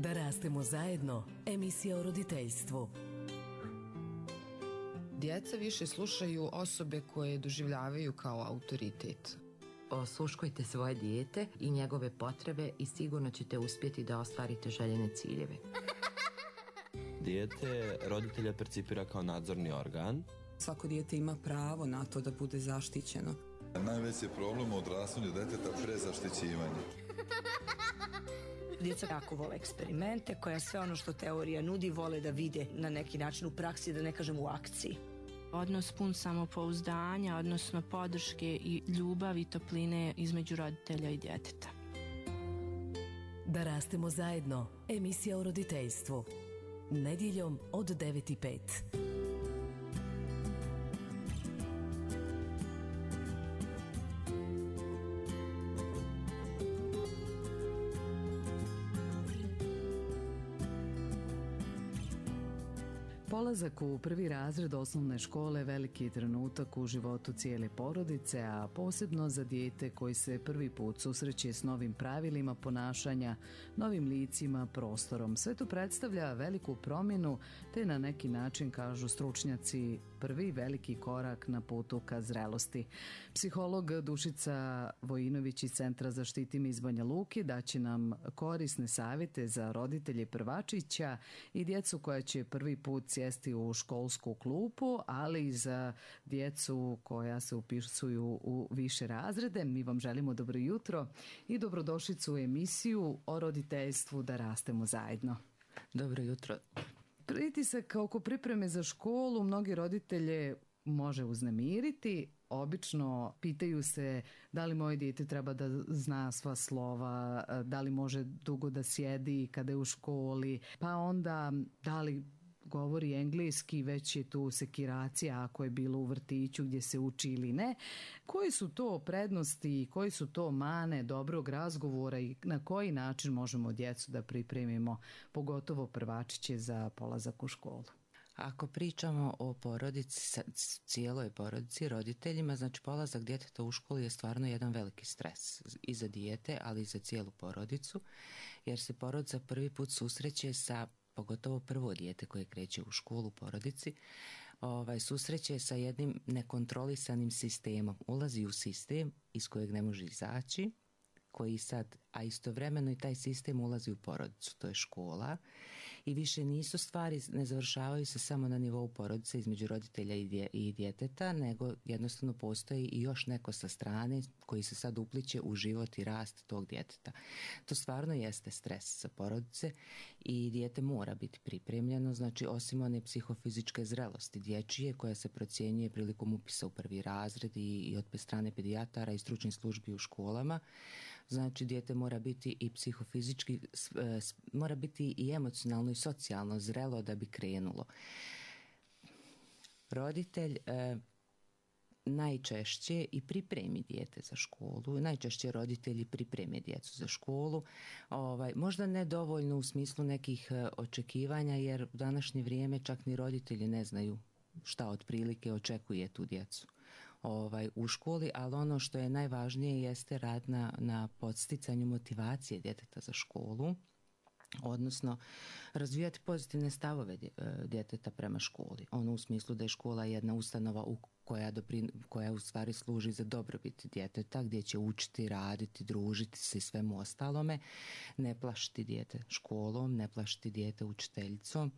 Da rastemo zajedno, emisija o roditeljstvu. Djeca više slušaju osobe koje doživljavaju kao autoritet. Osluškujte svoje dijete i njegove potrebe i sigurno ćete uspjeti da ostvarite željene ciljeve. Dijete roditelja percipira kao nadzorni organ. Svako dijete ima pravo na to da bude zaštićeno. Najveći problem u odrastanju djeteta prezaštićivanje. Djeca jako vole eksperimente, koja sve ono što teorija nudi vole da vide na neki način u praksi, da ne kažem u akciji. Odnos pun samopouzdanja, odnosno podrške i ljubavi i topline između roditelja i djeteta. Da rastemo zajedno, emisija o roditeljstvu. Nedjeljom od 9:05. Polazak u prvi razred osnovne škole veliki je trenutak u životu cijele porodice, a posebno za dijete koji se prvi put susreće s novim pravilima ponašanja, novim licima, prostorom. Sve to predstavlja veliku promjenu, te na neki način, kažu stručnjaci, prvi veliki korak na putu ka zrelosti. Psiholog Dušica Vojinović iz Centra Zaštiti me iz Banja Luke daće nam korisne savjete za roditelje prvačića i djecu koja će prvi put sjesti u školsku klupu, ali i za djecu koja se upisuju u više razrede. Mi vam želimo dobro jutro i dobrodošlicu u emisiju o roditeljstvu Da rastemo zajedno. Dobro jutro. Pritisak oko pripreme za školu mnogi roditelje može uznemiriti. Obično pitaju se da li moje dijete treba da zna sva slova, da li može dugo da sjedi kada je u školi, pa onda da li govori engleski, već je tu sekiracija ako je bilo u vrtiću gdje se uči ili ne. Koji su to prednosti i koji su to mane dobrog razgovora i na koji način možemo djecu da pripremimo, pogotovo prvačiće, za polazak u školu? Ako pričamo o porodici, cijeloj porodici, roditeljima, znači polazak djeteta u školu je stvarno jedan veliki stres i za dijete, ali i za cijelu porodicu, jer se porodica prvi put susreće sa, pogotovo prvo dijete koje kreće u školu u porodici, susreće sa jednim nekontrolisanim sistemom. Ulazi u sistem iz kojeg ne može izaći, koji sad, a istovremeno i taj sistem ulazi u porodicu, to je škola, i više nisu stvari, ne završavaju se samo na nivou porodice između roditelja i djeteta, nego jednostavno postoji i još neko sa strane koji se sad upliće u život i rast tog djeteta. To stvarno jeste stres za porodice i dijete mora biti pripremljeno, znači osim one psihofizičke zrelosti dječje koja se procjenjuje prilikom upisa u prvi razred i od strane pedijatara i stručnih službi u školama. Znači dijete mora biti i psihofizički, mora biti i emocionalno i socijalno zrelo da bi krenulo. Roditelj najčešće i pripremi dijete za školu, najčešće roditelji pripreme djecu za školu, možda ne dovoljno u smislu nekih očekivanja, jer u današnje vrijeme čak ni roditelji ne znaju šta otprilike očekuje tu djecu u školi, ali ono što je najvažnije jeste rad na podsticanju motivacije djeteta za školu, odnosno razvijati pozitivne stavove djeteta prema školi. Ono u smislu da je škola jedna ustanova koja u stvari služi za dobrobit djeteta, gdje će učiti, raditi, družiti se i svemu ostalome, ne plašiti dijete školom, ne plašiti dijete učiteljicom,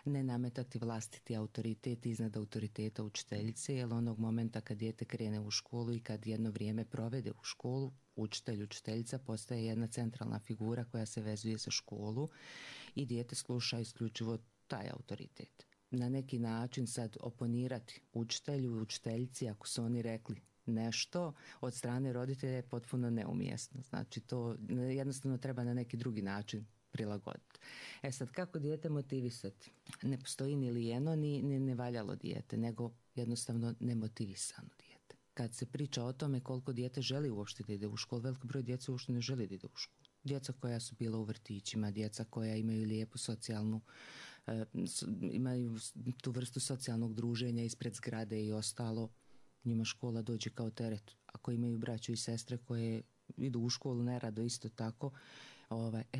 ne nametati vlastiti autoritet iznad autoriteta učiteljice, jer onog momenta kad dijete krene u školu i kad jedno vrijeme provede u školu, učitelj, učiteljica postaje jedna centralna figura koja se vezuje za školu i dijete sluša isključivo taj autoritet. Na neki način sad oponirati učitelju i učiteljici ako su oni rekli nešto od strane roditelja je potpuno neumjesno. Znači to jednostavno treba na neki drugi način prilagoditi. Sad kako dijete motivisati? Ne postoji ni lijeno ni nevaljalo dijete, nego jednostavno nemotivisano dijete. Kad se priča o tome koliko dijete želi uopšte da ide u školu, velik broj djece uopšte ne želi da ide u školu. Djeca koja su bila u vrtićima, djeca koja imaju lijepu socijalnu, imaju tu vrstu socijalnog druženja ispred zgrade i ostalo, njima škola dođe kao teret. Ako imaju braću i sestre koje idu u školu nerado isto tako,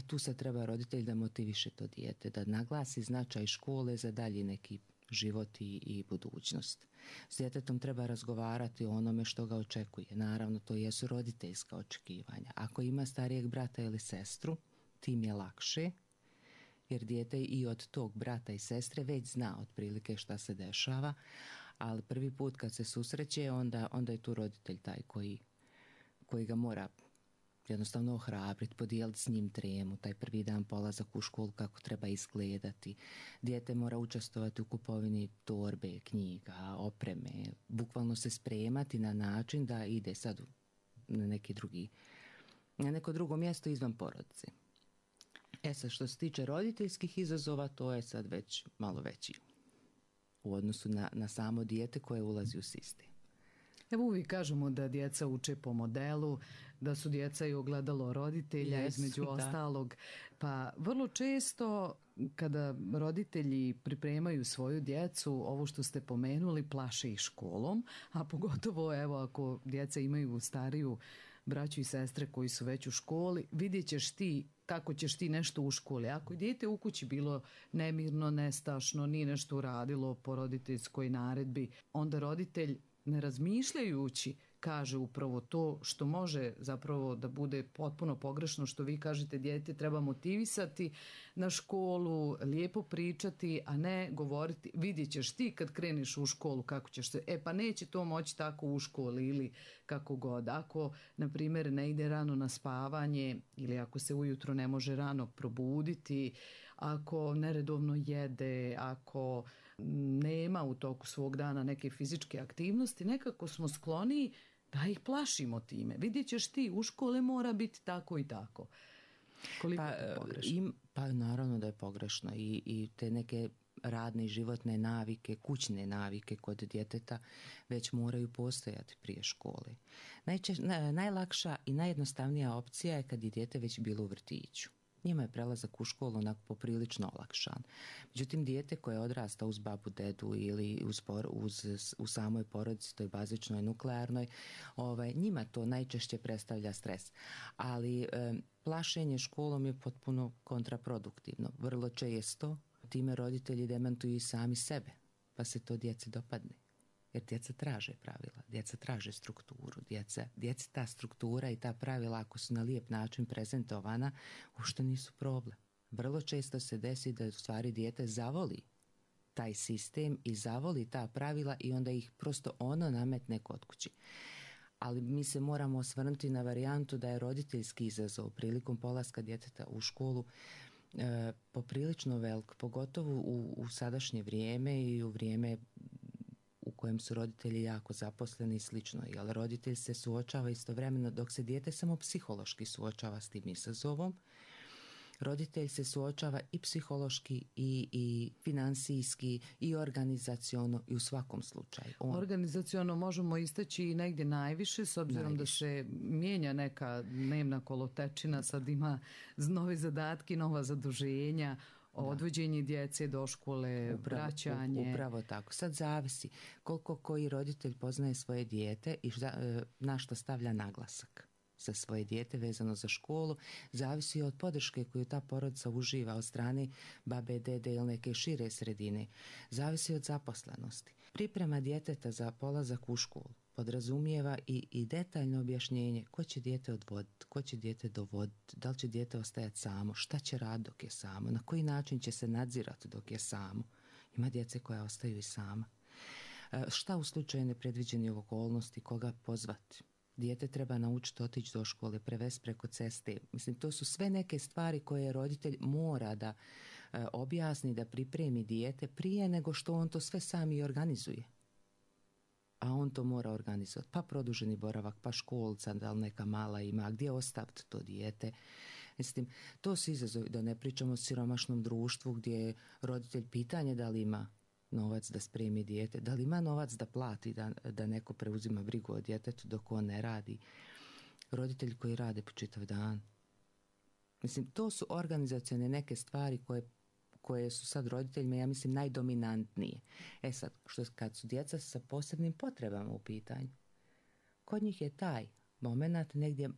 Tu se treba roditelj da motiviše to dijete, da naglasi značaj škole za dalji neki život i budućnost. S djetetom treba razgovarati o onome što ga očekuje. Naravno, to jesu roditeljska očekivanja. Ako ima starijeg brata ili sestru, tim je lakše, jer dijete i od tog brata i sestre već zna otprilike šta se dešava, ali prvi put kad se susreće, onda je tu roditelj taj koji ga mora jednostavno ohrabriti, podijeliti s njim tremu, taj prvi dan polazak u školu, kako treba izgledati. Dijete mora učestvovati u kupovini torbe, knjiga, opreme, bukvalno se spremati na način da ide sad na neko drugo mjesto izvan porodice. Sad, što se tiče roditeljskih izazova, to je sad već malo veći u odnosu na samo dijete koje ulazi u sistem. Evo uvijek kažemo da djeca uče po modelu, da su djeca i ogledalo roditelja, između ostalog. Pa vrlo često kada roditelji pripremaju svoju djecu, ovo što ste pomenuli, plaše ih školom, a pogotovo evo ako djeca imaju stariju braću i sestre koji su već u školi, vidjet ćeš ti kako ćeš ti nešto u školi. Ako je dijete u kući bilo nemirno, nestašno, nije nešto uradilo po roditeljskoj naredbi, onda roditelj, ne razmišljajući, kaže upravo to što može zapravo da bude potpuno pogrešno, što vi kažete, dijete treba motivisati na školu, lijepo pričati, a ne govoriti vidjet ćeš ti kad kreneš u školu kako ćeš se, pa neće to moći tako u školi ili kako god. Ako, na primjer, ne ide rano na spavanje ili ako se ujutro ne može rano probuditi, ako neredovno jede, ako nema u toku svog dana neke fizičke aktivnosti, nekako smo skloniji da ih plašimo time. Vidjet ćeš ti, u škole mora biti tako i tako. Koliko je to pogrešno? Pa naravno da je pogrešno i te neke radne i životne navike, kućne navike kod djeteta već moraju postojati prije škole. Najlakša i najjednostavnija opcija je kad je dijete već bilo u vrtiću. Njima je prelazak u školu onako poprilično olakšan. Međutim, dijete koje odrasta uz babu, dedu ili u samoj porodici, toj bazičnoj, nuklearnoj, njima to najčešće predstavlja stres. Ali plašenje školom je potpuno kontraproduktivno. Vrlo često time roditelji demantuju i sami sebe, pa se to djeci dopadne. Jer djeca traže pravila, djeca traže strukturu, djeca ta struktura i ta pravila, ako su na lijep način prezentovana, uopšte nisu problem. Vrlo često se desi da u stvari dijete zavoli taj sistem i zavoli ta pravila i onda ih prosto ono nametne kod kući. Ali mi se moramo osvrnuti na varijantu da je roditeljski izazov prilikom polaska djeteta u školu poprilično velik, pogotovo u sadašnje vrijeme i u vrijeme u kojem su roditelji jako zaposleni i slično. Jer roditelj se suočava istovremeno, dok se dijete samo psihološki suočava s tim izazovom, roditelj se suočava i psihološki i financijski i organizaciono i u svakom slučaju. Organizaciono možemo istaći i negdje najviše, s obzirom da se mijenja neka dnevna kolotečina, sad ima nove zadatke, nova zaduženja, odvođenje djece do škole, vraćanje. Upravo tako. Sad zavisi koliko koji roditelj poznaje svoje dijete i na što stavlja naglasak za svoje dijete vezano za školu, zavisi od podrške koju ta porodica uživa od strane babe, dede ili neke šire sredine. Zavisi od zaposlenosti. Priprema djeteta za polazak u školu podrazumijeva i detaljno objašnjenje ko će dijete odvoditi, ko će dijete dovoditi, da li će dijete ostajati samo, šta će raditi dok je samo, na koji način će se nadzirati dok je samo. Ima djece koja ostaju i sama. Šta u slučaju nepredviđenih okolnosti, koga pozvati? Dijete treba naučiti otići do škole, prevesti preko ceste. Mislim, to su sve neke stvari koje roditelj mora da objasni, da pripremi dijete prije nego što on to sve sam i organizuje. A on to mora organizovati. Pa produženi boravak, pa školca, da li neka mala ima, gdje ostaviti to dijete. Mislim, to su izazovi, da ne pričamo o siromašnom društvu gdje je roditelj pitanje da li ima novac da spremi dijete, da li ima novac da plati, da neko preuzima brigu o djetetu dok on ne radi. Roditelji koji rade po čitav dan. Mislim, to su organizacione neke stvari koje su sad roditeljima, ja mislim, najdominantnije. Sad, kad su djeca sa posebnim potrebama u pitanju, kod njih je taj moment negdje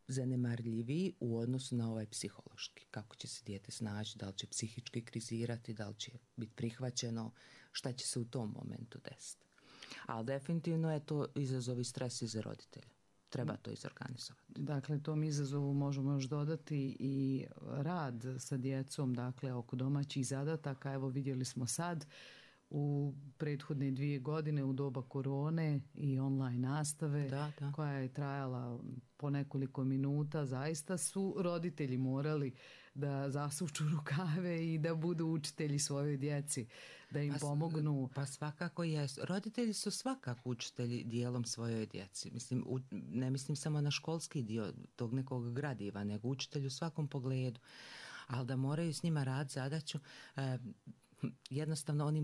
zanemarljiviji u odnosu na ovaj psihološki. Kako će se dijete snaći, da li će psihički krizirati, da li će biti prihvaćeno, šta će se u tom momentu desiti. Ali definitivno je to izazov i stres i za roditelja. Treba to izorganizovati. Dakle, tom izazovu možemo još dodati i rad sa djecom, dakle, oko domaćih zadataka. Evo, vidjeli smo sad u prethodne 2 godine u doba korone i online nastave koja je trajala po nekoliko minuta. Zaista su roditelji morali da zasuču rukave i da budu učitelji svojoj djeci, da im pomognu. Pa svakako jesu. Roditelji su svakako učitelji dijelom svojoj djeci. Mislim, ne mislim samo na školski dio tog nekog gradiva, nego učitelj u svakom pogledu. Ali da moraju s njima raditi zadaću, jednostavno oni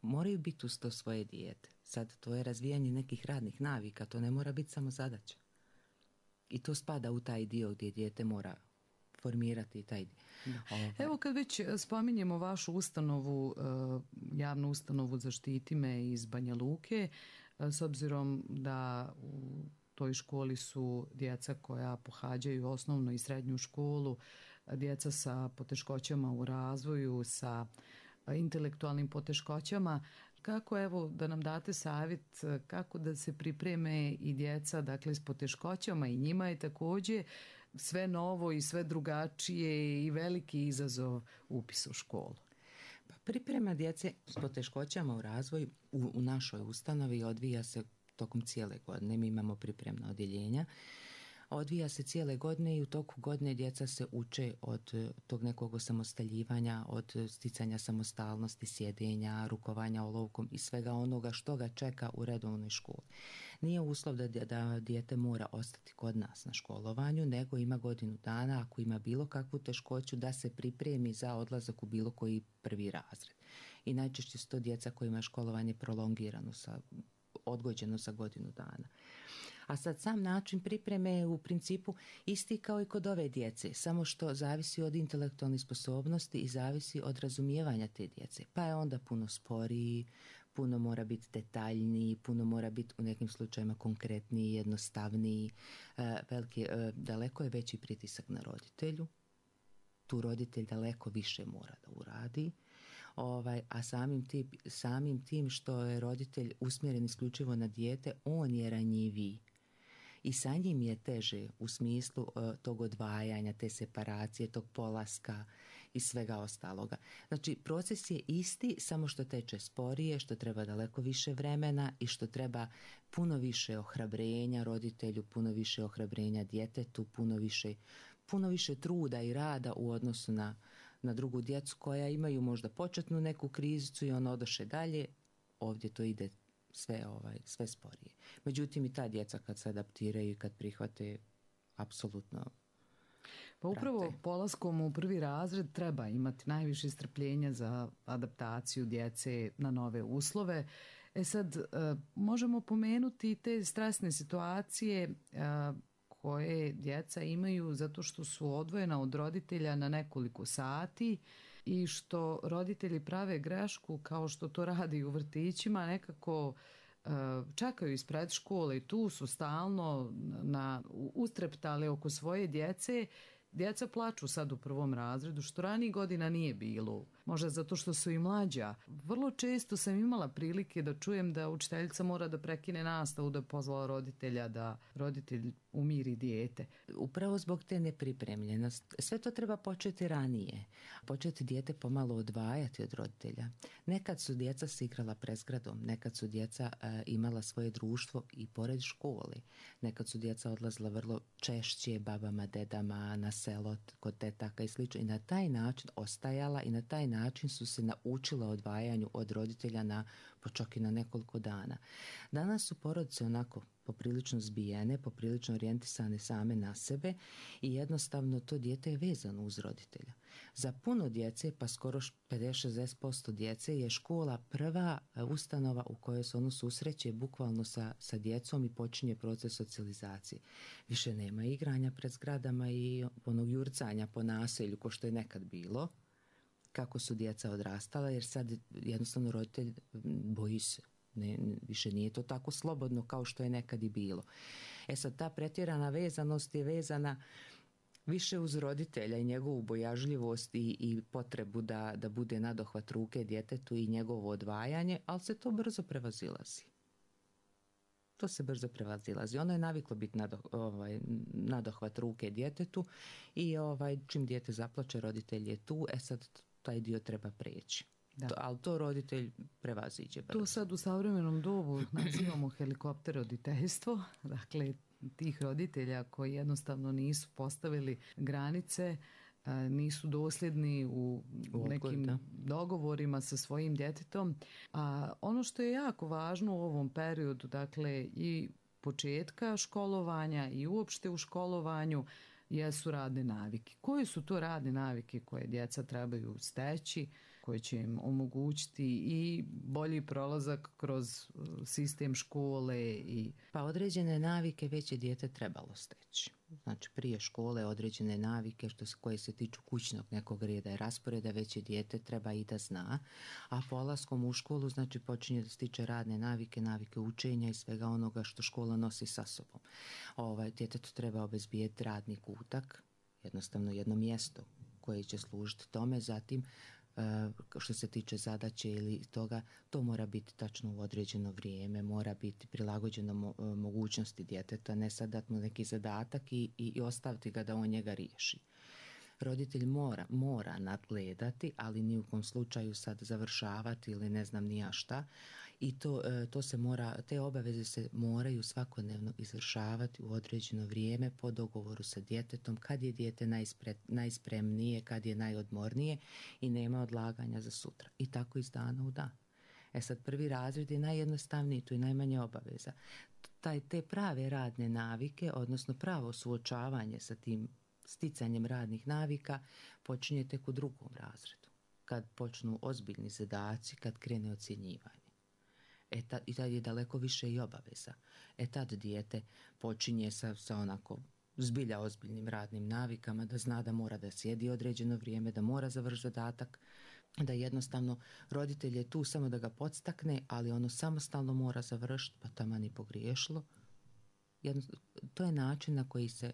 moraju biti uz to svoje dijete. Sad to je razvijanje nekih radnih navika, to ne mora biti samo zadaća. I to spada u taj dio gdje dijete mora formirati taj dio. Evo, kad već spominjemo vašu ustanovu, javnu ustanovu Zaštiti me iz Banja Luke, s obzirom da u toj školi su djeca koja pohađaju osnovnu i srednju školu, djeca sa poteškoćama u razvoju, sa intelektualnim poteškoćama, kako, evo, da nam date savjet kako da se pripreme i djeca, dakle, s poteškoćama, i njima je također sve novo i sve drugačije i veliki izazov upis u školu. Pa priprema djece s poteškoćama u razvoju u našoj ustanovi odvija se tokom cijele godine. Mi imamo pripremna odjeljenja. Odvija se cijele godine i u toku godine djeca se uče od tog nekog osamostaljivanja, od sticanja samostalnosti, sjedenja, rukovanja olovkom i svega onoga što ga čeka u redovnoj školi. Nije uslov da dijete mora ostati kod nas na školovanju, nego ima godinu dana, ako ima bilo kakvu teškoću, da se pripremi za odlazak u bilo koji prvi razred. I najčešće su to djeca kojima je školovanje prolongirano, odgođeno za godinu dana. A sad sam način pripreme je u principu isti kao i kod ove djece, samo što zavisi od intelektualnih sposobnosti i zavisi od razumijevanja te djece. Pa je onda puno sporiji, puno mora biti detaljniji, puno mora biti u nekim slučajima konkretniji, jednostavniji. Daleko je veći pritisak na roditelju. Tu roditelj daleko više mora da uradi. A samim tim što je roditelj usmjeren isključivo na dijete, on je ranjiviji. I sa njim je teže u smislu tog odvajanja, te separacije, tog polaska i svega ostaloga. Znači, proces je isti, samo što teče sporije, što treba daleko više vremena i što treba puno više ohrabrenja roditelju, puno više ohrabrenja djetetu, puno više truda i rada u odnosu na drugu djecu koja imaju možda početnu neku krizicu i ono odoše dalje. Ovdje to ide sve sporije. Međutim, i ta djeca kad se adaptiraju i kad prihvate, apsolutno. Pa upravo polaskom u prvi razred treba imati najviše strpljenja za adaptaciju djece na nove uslove. Sad, možemo pomenuti te stresne situacije koje djeca imaju zato što su odvojena od roditelja na nekoliko sati i što roditelji prave grešku, kao što to radi u vrtićima, nekako čekaju ispred škole i tu su stalno ustreptali oko svoje djece. Djeca plaču sad u prvom razredu, što ranijih godina nije bilo. Možda zato što su i mlađa. Vrlo često sam imala prilike da čujem da učiteljica mora da prekine nastavu, da pozvala roditelja, da roditelj umiri dijete. Upravo zbog te nepripremljenosti. Sve to treba početi ranije. Početi dijete pomalo odvajati od roditelja. Nekad su djeca se igrala prezgradom, nekad su djeca imala svoje društvo i pored škole. Nekad su djeca odlazila vrlo češće babama, dedama, na selo, kod tetaka i slično. I na taj način ostajala i na taj način su se naučila odvajanju od roditelja čak i na nekoliko dana. Danas su porodice onako poprilično zbijene, poprilično orijentisane same na sebe i jednostavno to dijete je vezano uz roditelja. Za puno djece, pa skoro 50-60% djece, je škola prva ustanova u kojoj se ono susreće bukvalno sa djecom i počinje proces socijalizacije. Više nema igranja pred zgradama i onog jurcanja po naselju ko što je nekad bilo, kako su djeca odrastala, jer sad jednostavno roditelj boji se. Više nije to tako slobodno kao što je nekad i bilo. Sad, ta pretjerana vezanost je vezana više uz roditelja i njegovu bojažljivost i potrebu da bude nadohvat ruke djetetu i njegovo odvajanje, ali se to brzo prevazilazi. To se brzo prevazilazi. Ono je naviklo biti nadohvat ruke djetetu i čim dijete zaplače, roditelj je tu, sad taj dio treba prijeći. Ali to roditelj prevaziđe brzo. To sad u savremenom dobu nazivamo helikopter roditeljstvo, dakle tih roditelja koji jednostavno nisu postavili granice, nisu dosljedni u nekim dogovorima sa svojim djetetom. A ono što je jako važno u ovom periodu, dakle i početka školovanja i uopšte u školovanju, jesu radne navike. Koje su to radne navike koje djeca trebaju steći, koje će im omogućiti i bolji prolazak kroz sistem škole? Pa određene navike već je dijete trebalo steći. Znači prije škole određene navike koje se tiču kućnog nekog reda i rasporeda već je dijete treba i da zna, a polaskom u školu znači počinje da stiče radne navike, navike učenja i svega onoga što škola nosi sa sobom. Djetetu treba obezbijeti radni kutak, jednostavno jedno mjesto koje će služiti tome, zatim što se tiče zadaće ili toga, to mora biti tačno u određeno vrijeme, mora biti prilagođeno mogućnosti djeteta, ne sad dati mu neki zadatak i ostaviti ga da on njega riješi. Roditelj mora nadgledati, ali ni u kom slučaju sad završavati ili ne znam ni ja šta. I to se mora, te obaveze se moraju svakodnevno izvršavati u određeno vrijeme po dogovoru sa djetetom, kad je dijete najspremnije, kad je najodmornije i nema odlaganja za sutra. I tako iz dana u dan. Sad prvi razred je najjednostavniji, tu je najmanje obaveza. Te prave radne navike, odnosno pravo suočavanje sa tim sticanjem radnih navika počinje tek u drugom razredu, kad počnu ozbiljni zadaci, kad krene ocjenjivanje. I tad je daleko više i obaveza. Tad dijete počinje sa onako zbilja ozbiljnim radnim navikama, da zna da mora da sjedi određeno vrijeme, da mora završiti zadatak, da jednostavno roditelj je tu samo da ga podstakne, ali ono samostalno mora završiti, pa taman i pogriješilo. To je način na koji se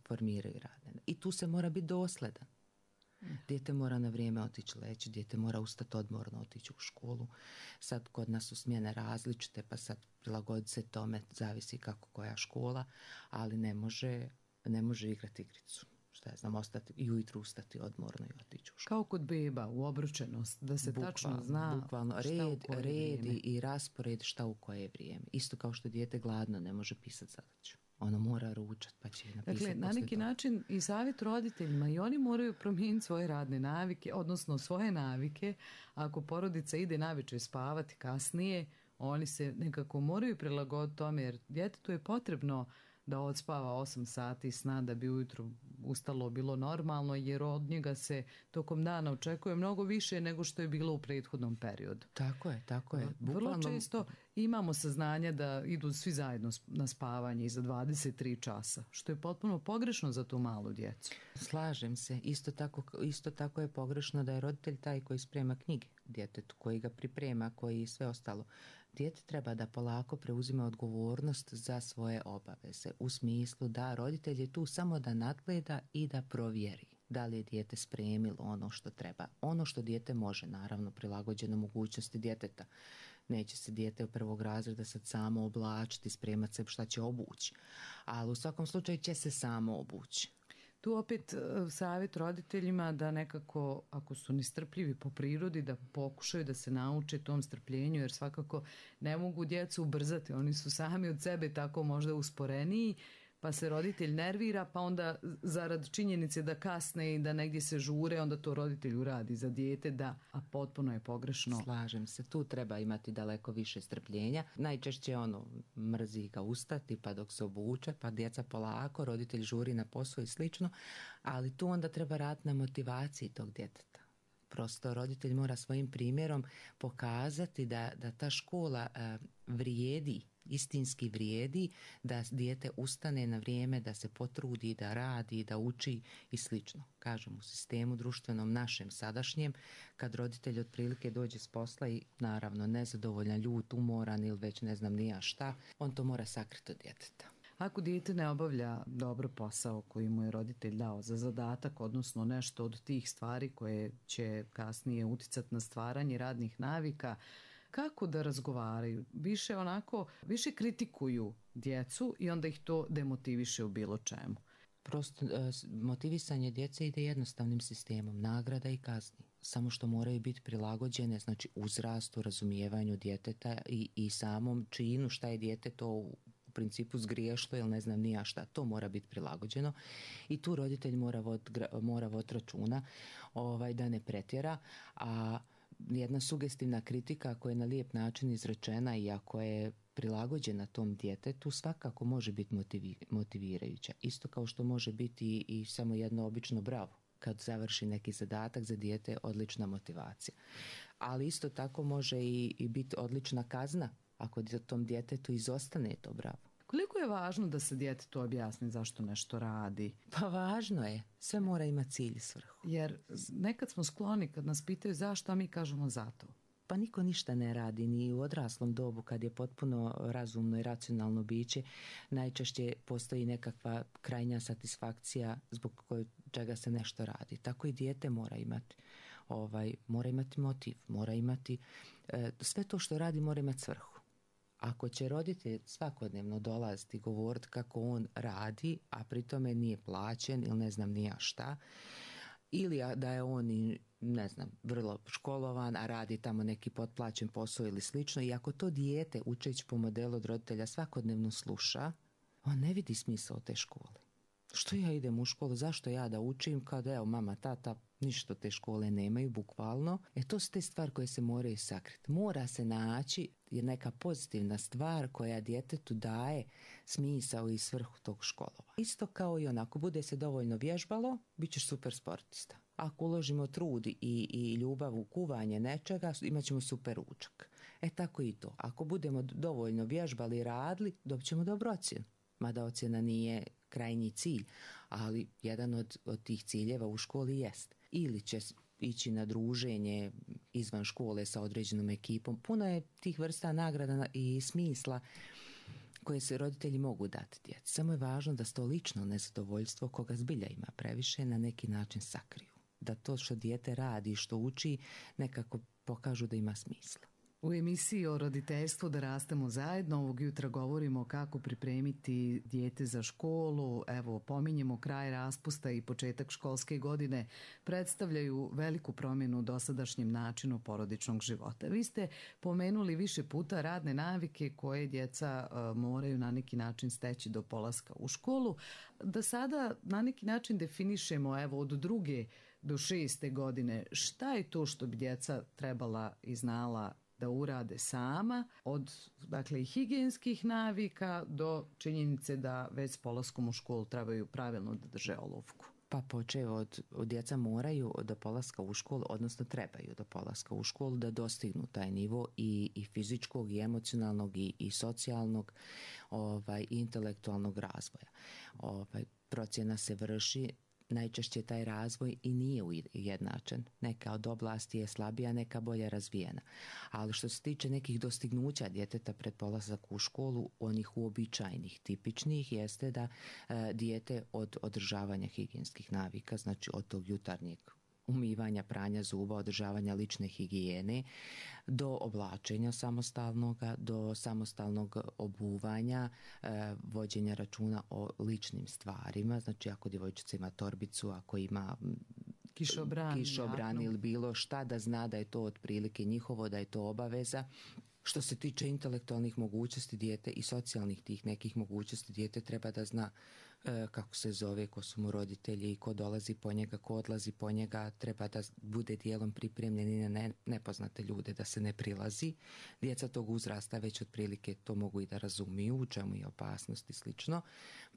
formiraju radne. I tu se mora biti dosledan. Dijete mora na vrijeme otići leći, dijete mora ustati odmorno, otići u školu. Sad kod nas su smjene različite, pa sad prilagoditi se tome, zavisi kako koja škola, ali ne može igrati igricu. Šta ja znam, i ujutru ustati odmorno i otići u školu. Kao kod beba, u obručenost, da se tačno zna bukvalno, red i raspored šta u koje vrijeme. Isto kao što dijete gladno ne može pisati zadaću. Ono mora ručati pa će napisati. Dakle, na neki način i savjet roditeljima, i oni moraju promijeniti svoje radne navike, odnosno svoje navike. Ako porodica ide navečer spavati kasnije, oni se nekako moraju prilagoditi tome, jer djetetu je potrebno da odspava 8 sati sna da bi ujutro ustalo bilo normalno, jer od njega se tokom dana očekuje mnogo više nego što je bilo u prethodnom periodu. Tako je. Vrlo često imamo saznanja da idu svi zajedno na spavanje iza 23 časa, što je potpuno pogrešno za tu malu djecu. Slažem se. Isto tako je pogrešno da je roditelj taj koji sprema knjige djetetu, koji ga priprema, koji sve ostalo. Dijete treba da polako preuzima odgovornost za svoje obaveze, u smislu da roditelj je tu samo da nadgleda i da provjeri da li je dijete spremilo ono što treba. Ono što dijete može, naravno, prilagođeno mogućnosti djeteta. Neće se dijete u prvog razreda sad samo oblačiti, spremati se šta će obući, ali u svakom slučaju će se samo obući. Tu opet savjet roditeljima da nekako, ako su nestrpljivi po prirodi, da pokušaju da se nauče tom strpljenju, jer svakako ne mogu djecu ubrzati, oni su sami od sebe tako možda usporeniji, pa se roditelj nervira, pa onda zarad činjenice da kasne i da negdje se žure, onda to roditelj uradi za dijete, a potpuno je pogrešno. Slažem se, tu treba imati daleko više strpljenja. Najčešće mrzi ga ustati, pa dok se obuče, pa djeca polako, roditelj žuri na posao i slično, ali tu onda treba raditi na motivaciji tog djeteta. Prosto roditelj mora svojim primjerom pokazati da ta škola vrijedi istinski vrijedi da dijete ustane na vrijeme, da se potrudi, da radi, da uči i slično. Kažem, u sistemu društvenom našem sadašnjem, kad roditelj otprilike dođe s posla i naravno nezadovoljan, ljut, umoran ili već ne znam ni ja šta, on to mora sakriti od djeteta. Ako dijete ne obavlja dobro posao koji mu je roditelj dao za zadatak, odnosno nešto od tih stvari koje će kasnije uticati na stvaranje radnih navika, kako da razgovaraju? Više kritikuju djecu i onda ih to demotiviše u bilo čemu. Prosto motivisanje djece ide jednostavnim sistemom, nagrada i kazni. Samo što moraju biti prilagođene, znači uzrastu, razumijevanju djeteta i samom činu šta je dijete to u principu zgriješilo ili ne znam ni ja šta, to mora biti prilagođeno i tu roditelj mora voditi računa da ne pretjera, a jedna sugestivna kritika koja je na lijep način izrečena i ako je prilagođena tom djetetu svakako može biti motivirajuća. Isto kao što može biti i samo jedno obično bravo. Kad završi neki zadatak za dijete, odlična motivacija. Ali isto tako može i biti odlična kazna ako tom djetetu izostane to bravo. Koliko je važno da se djetetu objasni zašto nešto radi? Pa važno je. Sve mora imati cilj i svrhu. Jer nekad smo skloni kad nas pitaju zašto, a mi kažemo zato. Pa niko ništa ne radi, ni u odraslom dobu kad je potpuno razumno i racionalno biće. Najčešće postoji nekakva krajnja satisfakcija zbog čega se nešto radi. Tako i dijete mora imati motiv, mora imati sve to što radi mora imati svrhu. Ako će roditelj svakodnevno dolaziti i govoriti kako on radi, a pri tome nije plaćen ili ne znam ni ja šta, ili da je on ne znam, vrlo školovan, a radi tamo neki potplaćen posao ili slično, i ako to dijete učeći po modelu od roditelja svakodnevno sluša, on ne vidi smisao te škole. Što ja idem u školu, zašto ja da učim kad evo mama, tata, ništa te škole nemaju, bukvalno. To su te stvari koje se moraju sakriti. Mora se naći neka pozitivna stvar koja djetetu daje smisao i svrhu tog školova. Isto kao i onako, bude se dovoljno vježbalo, bit ćeš super sportista. Ako uložimo trud i ljubav u kuvanje nečega, imat ćemo super ručak. Tako i to. Ako budemo dovoljno vježbali i radili, dobit ćemo dobru ocjenu. Mada ocjena nije krajnji cilj, ali jedan od tih ciljeva u školi jest. Ili će ići na druženje izvan škole sa određenom ekipom. Puno je tih vrsta nagrada i smisla koje se roditelji mogu dati djeci. Samo je važno da to lično nezadovoljstvo, koga zbilja ima previše, na neki način sakriju. Da to što dijete radi, što uči, nekako pokažu da ima smisla. U emisiji o roditeljstvu Da rastemo zajedno ovog jutra govorimo kako pripremiti dijete za školu. Evo, pominjemo kraj raspusta i početak školske godine predstavljaju veliku promjenu u dosadašnjem načinu porodičnog života. Vi ste pomenuli više puta radne navike koje djeca moraju na neki način steći do polaska u školu. Da sada na neki način definišemo od 2. do 6. godine šta je to što bi djeca trebala i znala da urade sama, od i higijenskih navika do činjenice da već s polaskom u školu trebaju pravilno da drže olovku. Pa počev od djeca moraju do polaska u školu, odnosno trebaju do polaska u školu da dostignu taj nivo i fizičkog i emocionalnog i socijalnog i intelektualnog razvoja. Procjena se vrši. Najčešće taj razvoj i nije ujednačen. Neka od oblasti je slabija, neka bolje razvijena. Ali što se tiče nekih dostignuća djeteta pred polazak u školu, onih uobičajenih, tipičnih, jeste da dijete od održavanja higijenskih navika, znači od tog jutarnjeg umivanja, pranja zuba, održavanja lične higijene, do oblačenja samostalnoga, do samostalnog obuvanja, vođenja računa o ličnim stvarima, znači ako djevojčica ima torbicu, ako ima kišobran ili bilo šta, da zna da je to otprilike njihovo, da je to obaveza. Što se tiče intelektualnih mogućnosti dijete i socijalnih tih nekih mogućnosti, dijete treba da zna kako se zove, ko su mu roditelji, ko dolazi po njega, ko odlazi po njega, treba da bude dijelom pripremljen i na nepoznate ljude, da se ne prilazi. Djeca tog uzrasta već otprilike to mogu i da razumiju, u čemu je opasnost i slično.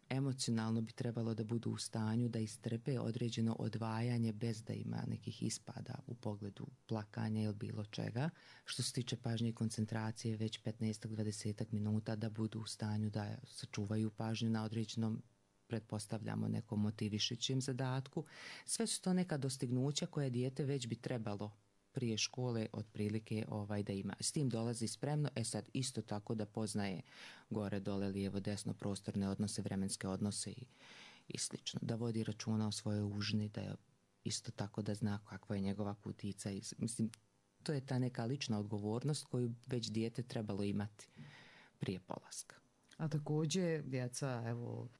Emocionalno bi trebalo da budu u stanju da istrpe određeno odvajanje bez da ima nekih ispada u pogledu plakanja ili bilo čega. Što se tiče pažnje i koncentracije, već 15-20 minuta da budu u stanju da sačuvaju pažnju na određenom, pretpostavljamo, nekom motivišućem zadatku. Sve su to neka dostignuća koje dijete već bi trebalo prije škole otprilike da ima. S tim dolazi spremno, sad isto tako da poznaje gore, dole, lijevo, desno, prostorne odnose, vremenske odnose i slično. Da vodi računa o svojoj užini, da je isto tako da zna kakva je njegova kutica. Mislim, to je ta neka lična odgovornost koju već dijete trebalo imati prije polaska. A također djeca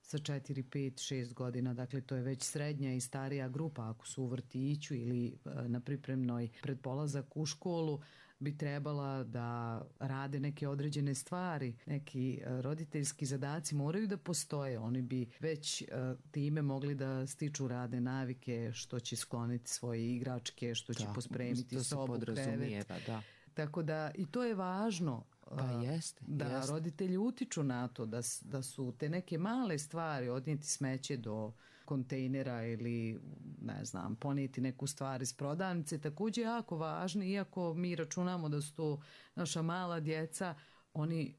sa 4, 5, 6 godina, dakle to je već srednja i starija grupa, ako su u vrtiću ili na pripremnoj pred polazak u školu, bi trebala da rade neke određene stvari, neki roditeljski zadaci moraju da postoje. Oni bi već time mogli da stiču radne navike, što će skloniti svoje igračke, što će pospremiti sobu, krevet. Da. Tako da i to je važno. Jeste. Roditelji utiču na to da su te neke male stvari, odnijeti smeće do kontejnera ili ponijeti neku stvar iz prodavnice, također jako važni, iako mi računamo da su to naša mala djeca, oni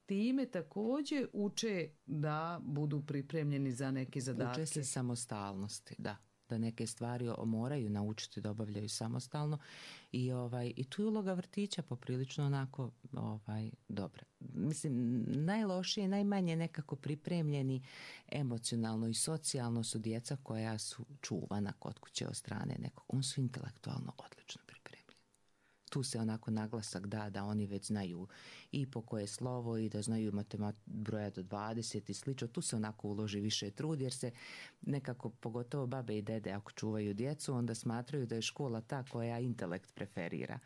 time također uče da budu pripremljeni za neke zadatke. Uče se samostalnosti, da neke stvari moraju naučiti da obavljaju samostalno i tu je uloga vrtića poprilično onako dobra. Mislim, najlošije, najmanje nekako pripremljeni emocionalno i socijalno su djeca koja su čuvana kod kuće od strane nekog. Oni su intelektualno odlično pripremljeni. Tu se onako naglasak da oni već znaju i po koje slovo i da znaju broja do 20 i slično. Tu se onako uloži više trud jer se nekako, pogotovo babe i dede ako čuvaju djecu, onda smatraju da je škola ta koja intelekt preferira.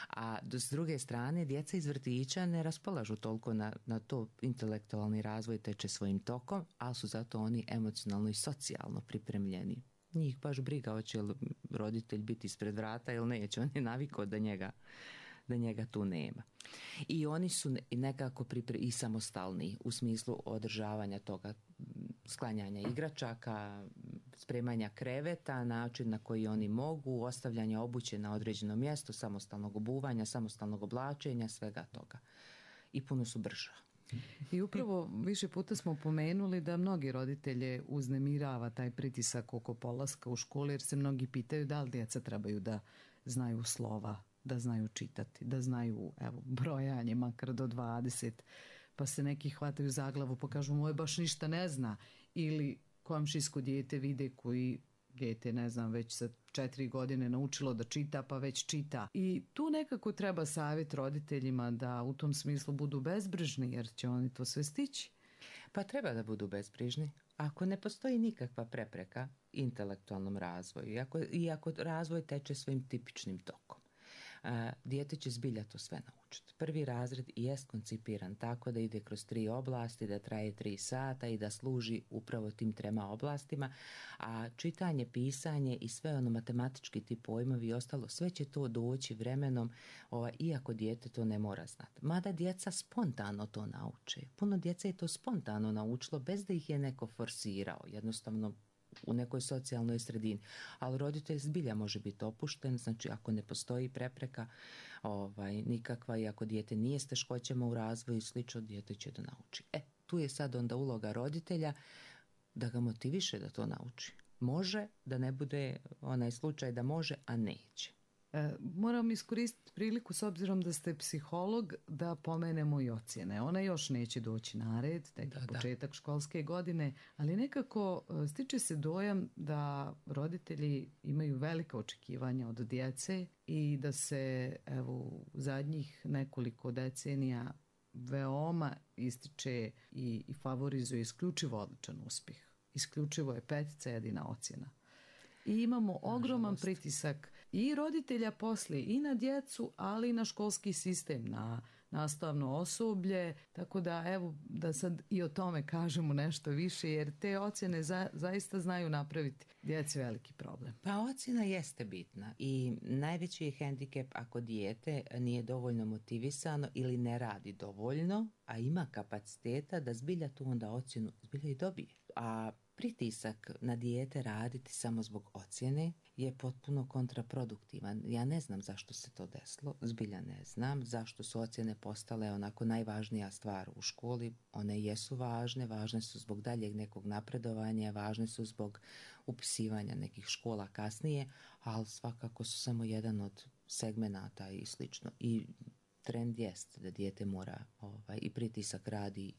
A s druge strane, djeca iz vrtića ne raspolažu toliko na to, intelektualni razvoj teče svojim tokom, ali su zato oni emocionalno i socijalno pripremljeni. Njih baš briga hoće li roditelj biti ispred vrata ili neće, on je navikao da njega tu nema. I oni su nekako i samostalni u smislu održavanja toga, sklanjanja igračaka, spremanja kreveta, način na koji oni mogu, ostavljanja obuće na određeno mjesto, samostalnog obuvanja, samostalnog oblačenja, svega toga. I puno su brža. I upravo više puta smo pomenuli da mnogi roditelje uznemirava taj pritisak oko polaska u školu, jer se mnogi pitaju da li djeca trebaju da znaju slova, da znaju čitati, da znaju brojanje makar do 20, pa se neki hvataju za glavu pa kažu moj baš ništa ne zna, ili komšijsko dijete vide koji dijete, već sa 4 godine naučilo da čita, pa već čita. I tu nekako treba savjet roditeljima da u tom smislu budu bezbrižni, jer će oni to sve stići. Pa treba da budu bezbrižni. Ako ne postoji nikakva prepreka intelektualnom razvoju, iako razvoj teče svojim tipičnim tokom, dijete će zbilja to sve naučiti. Prvi razred jest koncipiran tako da ide kroz 3 oblasti, da traje 3 sata i da služi upravo tim 3 oblastima, a čitanje, pisanje i sve ono matematički ti pojmovi i ostalo, sve će to doći vremenom, iako dijete to ne mora znati. Mada djeca spontano to nauče. Puno djeca je to spontano naučilo bez da ih je neko forsirao, jednostavno u nekoj socijalnoj sredini, ali roditelj zbilja može biti opušten, znači ako ne postoji prepreka nikakva i ako dijete nije s teškoćama u razvoju i slično, dijete će da nauči. Tu je sad onda uloga roditelja da ga motiviše da to nauči. Može, da ne bude onaj slučaj da može, a neće. Moram iskoristiti priliku, s obzirom da ste psiholog, da pomenemo i ocjene. Ona još neće doći na red, tek je početak školske godine, ali nekako stiče se dojam da roditelji imaju velika očekivanja od djece i da se u zadnjih nekoliko decenija veoma ističe i favorizuje isključivo odličan uspjeh. Isključivo je 5 jedina ocjena. I imamo ogroman pritisak i roditelja poslije i na djecu, ali i na školski sistem, na nastavno osoblje, tako da evo da sad i o tome kažemo nešto više, jer te ocjene zaista znaju napraviti djeci veliki problem. Pa ocjena jeste bitna i najveći je hendikep ako dijete nije dovoljno motivisano ili ne radi dovoljno, a ima kapaciteta da zbilja tu onda ocjenu zbilja i dobije. A pritisak na dijete raditi samo zbog ocjene je potpuno kontraproduktivan. Ja ne znam zašto se to desilo, zbilja ne znam zašto su ocjene postale onako najvažnija stvar u školi. One jesu važne su zbog daljeg nekog napredovanja, važne su zbog upisivanja nekih škola kasnije, ali svakako su samo jedan od segmenata i slično. I trend jest da dijete mora i pritisak radi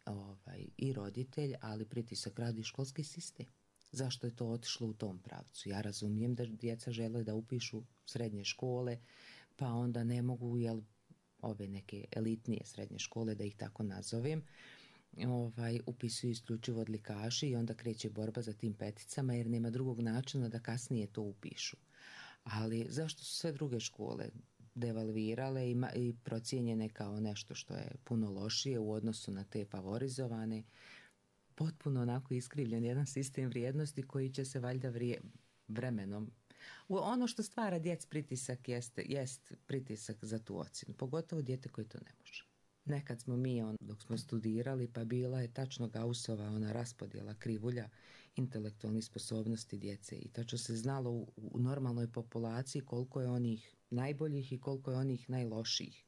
i roditelj, ali pritisak radi školski sistem. Zašto je to otišlo u tom pravcu? Ja razumijem da djeca žele da upišu srednje škole, pa onda ne mogu, ove neke elitnije srednje škole, da ih tako nazovem, upisuju isključivo odlikaši i onda kreće borba za tim peticama jer nema drugog načina da kasnije to upišu. Ali zašto su sve druge škole devalvirale i procijenjene kao nešto što je puno lošije u odnosu na te favorizovane? Potpuno onako iskrivljen jedan sistem vrijednosti koji će se valjda vremenom. Ono što stvara djeci pritisak jest pritisak za tu ocjenu, pogotovo dijete koji to ne može. Nekad smo mi, dok smo studirali, pa bila je tačno Gaussova ona raspodjela krivulja intelektualnih sposobnosti djece i tačno se znalo u normalnoj populaciji koliko je onih najboljih i koliko je onih najlošijih.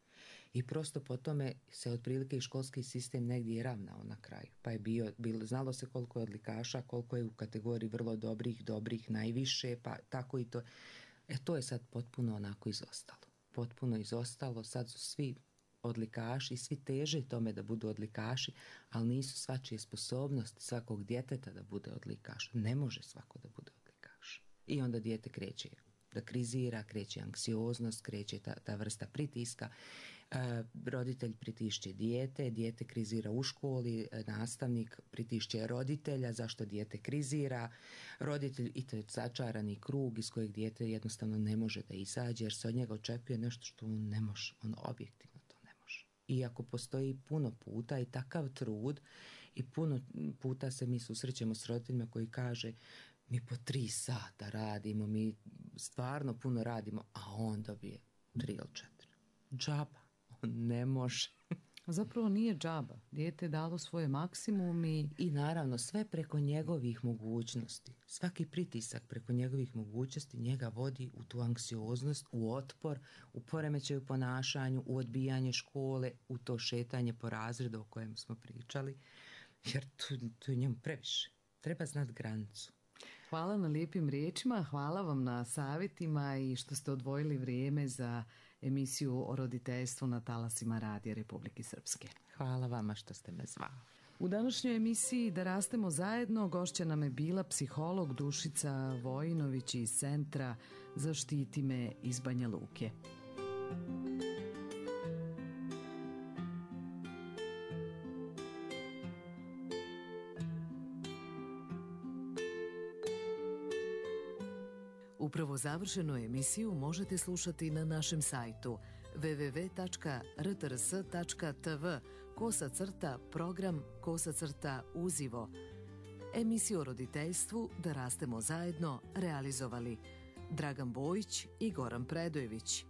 I prosto po tome se otprilike i školski sistem negdje i ravnao na kraju. Pa je znalo se koliko je odlikaša, koliko je u kategoriji vrlo dobrih, najviše, pa tako i to. To je sad potpuno onako izostalo. Potpuno izostalo, sad su svi odlikaši, svi teže tome da budu odlikaši, ali nisu svačije sposobnosti svakog djeteta da bude odlikaš. Ne može svako da bude odlikaš. I onda dijete kreće da krizira, kreće anksioznost, kreće ta vrsta pritiska. Roditelj pritišće dijete krizira u školi, nastavnik pritišće roditelja, zašto dijete krizira, roditelj, i to je začarani krug iz kojeg dijete jednostavno ne može da izađe jer se od njega očekuje nešto što on ne može, on objektivno to ne može. Iako postoji puno puta i takav trud i puno puta se mi susrećemo s roditeljima koji kaže mi po 3 sata radimo, mi stvarno puno radimo, a on dobije 3 ili 4. Džaba, on ne može. Zapravo nije džaba. Dijete je dalo svoje maksimum i naravno sve preko njegovih mogućnosti. Svaki pritisak preko njegovih mogućnosti njega vodi u tu anksioznost, u otpor, u poremećaj u ponašanju, u odbijanje škole, u to šetanje po razredu o kojem smo pričali, jer to je njemu previše. Treba znati granicu. Hvala na lijepim riječima, hvala vam na savjetima i što ste odvojili vrijeme za emisiju o roditeljstvu na talasima Radija Republike Srpske. Hvala vama što ste me zvali. U današnjoj emisiji Da rastemo zajedno gošća nam je bila psiholog Dušica Vojinović iz Centra Zaštiti me iz Banja Luke. Upravo završenu emisiju možete slušati na našem sajtu www.rtrs.tv/program/uzivo. Emisiju o roditeljstvu Da rastemo zajedno realizovali Dragan Bojić i Goran Predojević.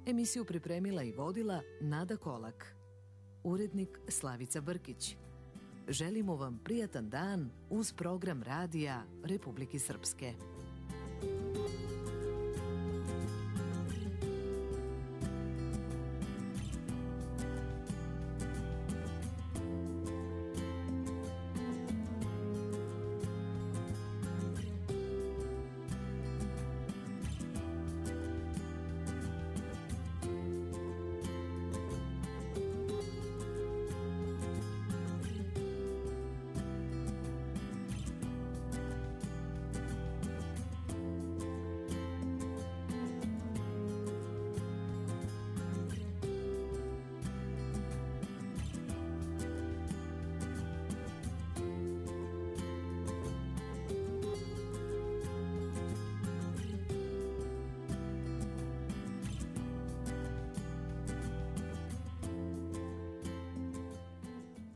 Emisiju pripremila i vodila Nada Kolak. Urednik Slavica Brkić. Želimo vam prijatan dan uz program Radija Republike Srpske.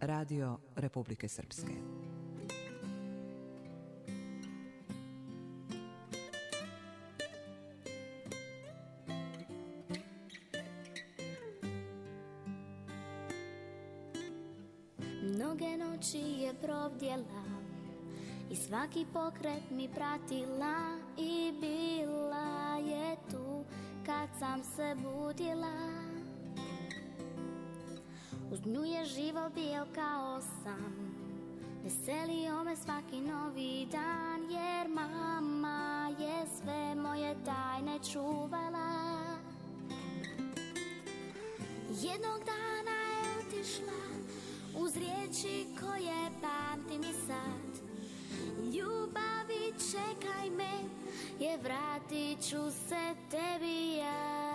Radio Republike Srpske. Mnoge noći je provdjela i svaki pokret mi pratila i bila je tu kad sam se budila. Uz nju je život bio kao san, veselio me svaki novi dan, jer mama je sve moje tajne čuvala. Jednog dana je otišla uz riječi koje pamtim i sad. Ljubavi, čekaj me, jer vratit ću se tebi ja.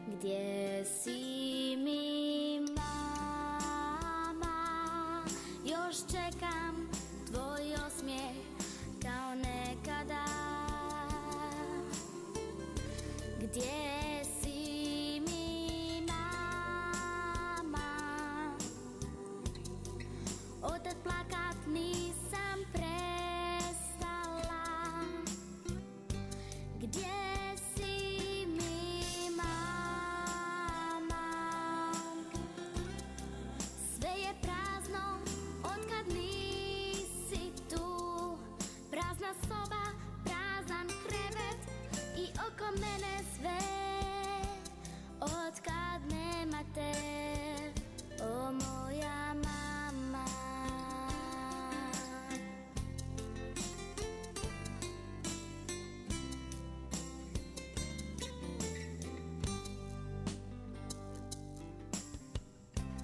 Gdje si mi, mama? Još čekam tvoj osmijeh kao nekada. Gdje si mi, mama? Otad plakat nisam prestala. Gdje si mi, mama? Sve je prazno otkad nisi tu. Prazna soba, prazan krevet i oko mene sve otkad nema te, o moja mama.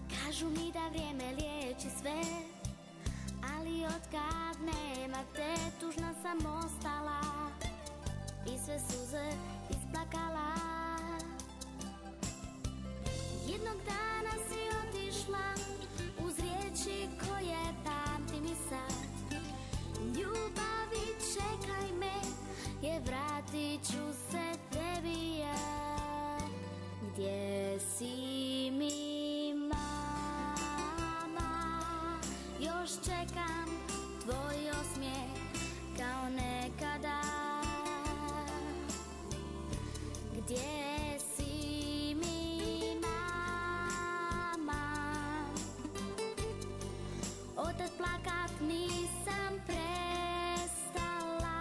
Kažu mi da vrijeme liječi sve, ali otkad nema te, tužna sam ostala i sve suze isplakala. Jednog dana si otišla uz riječi koje pamtim i sad. Ljubavi, čekaj me, jer vratit ću se tebi ja. Gdje si mi, mama? Još čekam tvoj osmijeh kao nekada. Gdje si mi, mama? Otad plakat nisam prestala.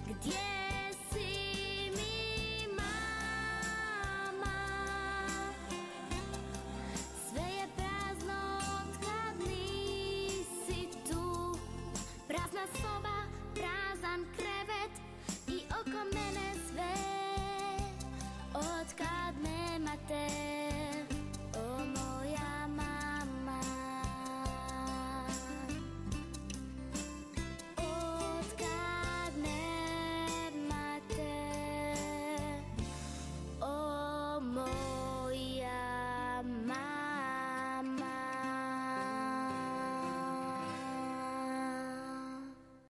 Gdje si mi, mama? Sve je prazno otkad nisi tu. Prazna soba, prazan krevet i oko mene sve otkad nema te.